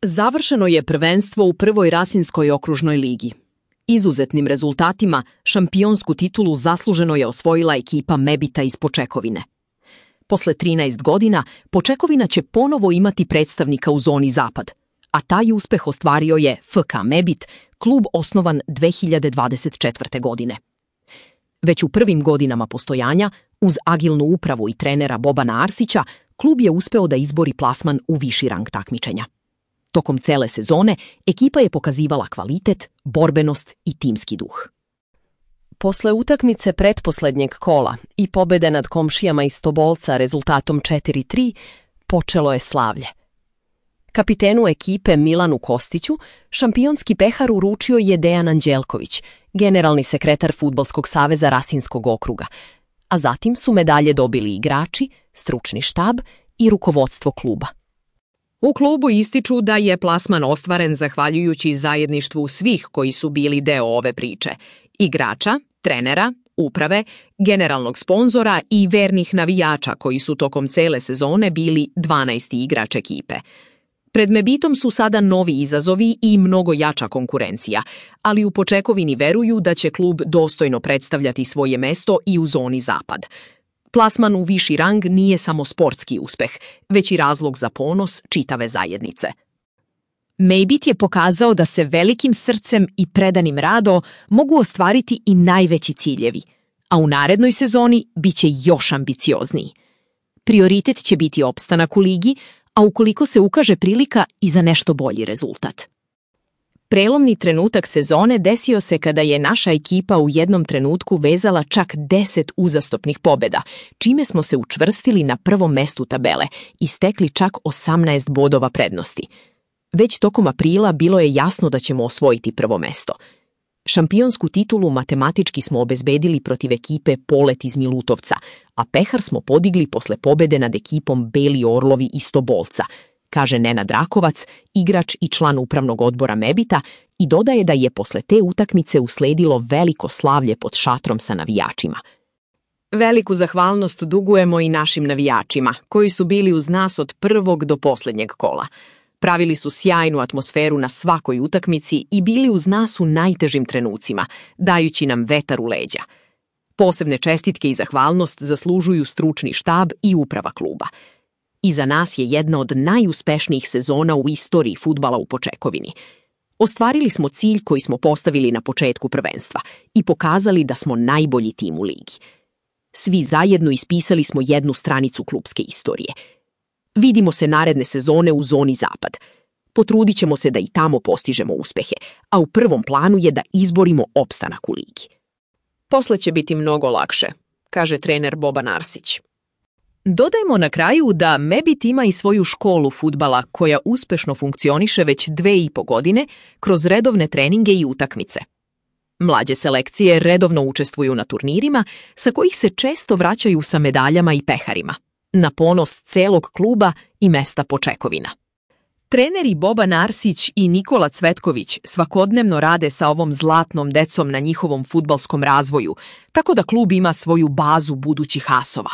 Završeno je prvenstvo u prvoj Rasinskoj okružnoj ligi. Izuzetnim rezultatima šampionsku titulu zasluženo je osvojila ekipa Mebita iz Počekovine. Posle 13 godina Počekovina će ponovo imati predstavnika u zoni Zapad, a taj uspeh ostvario je FK Mebit, klub osnovan 2024. godine. Već u prvim godinama postojanja, uz agilnu upravu i trenera Bobana Arsića, klub je uspeo da izbori plasman u viši rang takmičenja. Tokom cele sezone ekipa je pokazivala kvalitet, borbenost i timski duh. Posle utakmice pretposlednjeg kola i pobede nad komšijama iz Tobolca rezultatom 4:3, počelo je slavlje. Kapitenu ekipe Milanu Kostiću šampionski pehar uručio je Dejan Anđelković, generalni sekretar Fudbalskog saveza Rasinskog okruga, a zatim su medalje dobili igrači, stručni štab i rukovodstvo kluba. U klubu ističu da je plasman ostvaren zahvaljujući zajedništvu svih koji su bili deo ove priče: igrača, trenera, uprave, generalnog sponzora i vernih navijača koji su tokom cele sezone bili 12. igrač ekipe. Pred Mebitom su sada novi izazovi i mnogo jača konkurencija, ali u Počekovini veruju da će klub dostojno predstavljati svoje mesto i u zoni Zapad. Plasman u viši rang nije samo sportski uspeh, već i razlog za ponos čitave zajednice. Mebit je pokazao da se velikim srcem i predanim radom mogu ostvariti i najveći ciljevi, a u narednoj sezoni bit će još ambiciozniji. Prioritet će biti opstanak u ligi, a ukoliko se ukaže prilika i za nešto bolji rezultat. Prelomni trenutak sezone desio se kada je naša ekipa u jednom trenutku vezala čak 10 uzastopnih pobjeda, čime smo se učvrstili na prvom mestu tabele i stekli čak 18 bodova prednosti. Već tokom aprila bilo je jasno da ćemo osvojiti prvo mesto. Šampionsku titulu matematički smo obezbedili protiv ekipe Polet iz Milutovca, a pehar smo podigli posle pobede nad ekipom Beli Orlovi iz Tobolca, kaže Nenad Rakovac, igrač i član upravnog odbora Mebita, i dodaje da je posle te utakmice usledilo veliko slavlje pod šatrom sa navijačima. Veliku zahvalnost dugujemo i našim navijačima, koji su bili uz nas od prvog do posljednjeg kola. Pravili su sjajnu atmosferu na svakoj utakmici i bili uz nas u najtežim trenucima, dajući nam vetar u leđa. Posebne čestitke i zahvalnost zaslužuju stručni štab i uprava kluba. Iza nas je jedna od najuspešnijih sezona u istoriji fudbala u Počekovini. Ostvarili smo cilj koji smo postavili na početku prvenstva i pokazali da smo najbolji tim u ligi. Svi zajedno ispisali smo jednu stranicu klubske istorije. Vidimo se naredne sezone u zoni Zapad. Potrudit ćemo se da i tamo postižemo uspehe, a u prvom planu je da izborimo opstanak u ligi. Posle će biti mnogo lakše, kaže trener Boban Arsić. Dodajmo na kraju da Mebit ima i svoju školu fudbala koja uspešno funkcioniše već 2,5 godine kroz redovne treninge i utakmice. Mlađe selekcije redovno učestvuju na turnirima sa kojih se često vraćaju sa medaljama i peharima, na ponos celog kluba i mesta Počekovina. Treneri Boban Arsić i Nikola Cvetković svakodnevno rade sa ovom zlatnom decom na njihovom fudbalskom razvoju, tako da klub ima svoju bazu budućih asova.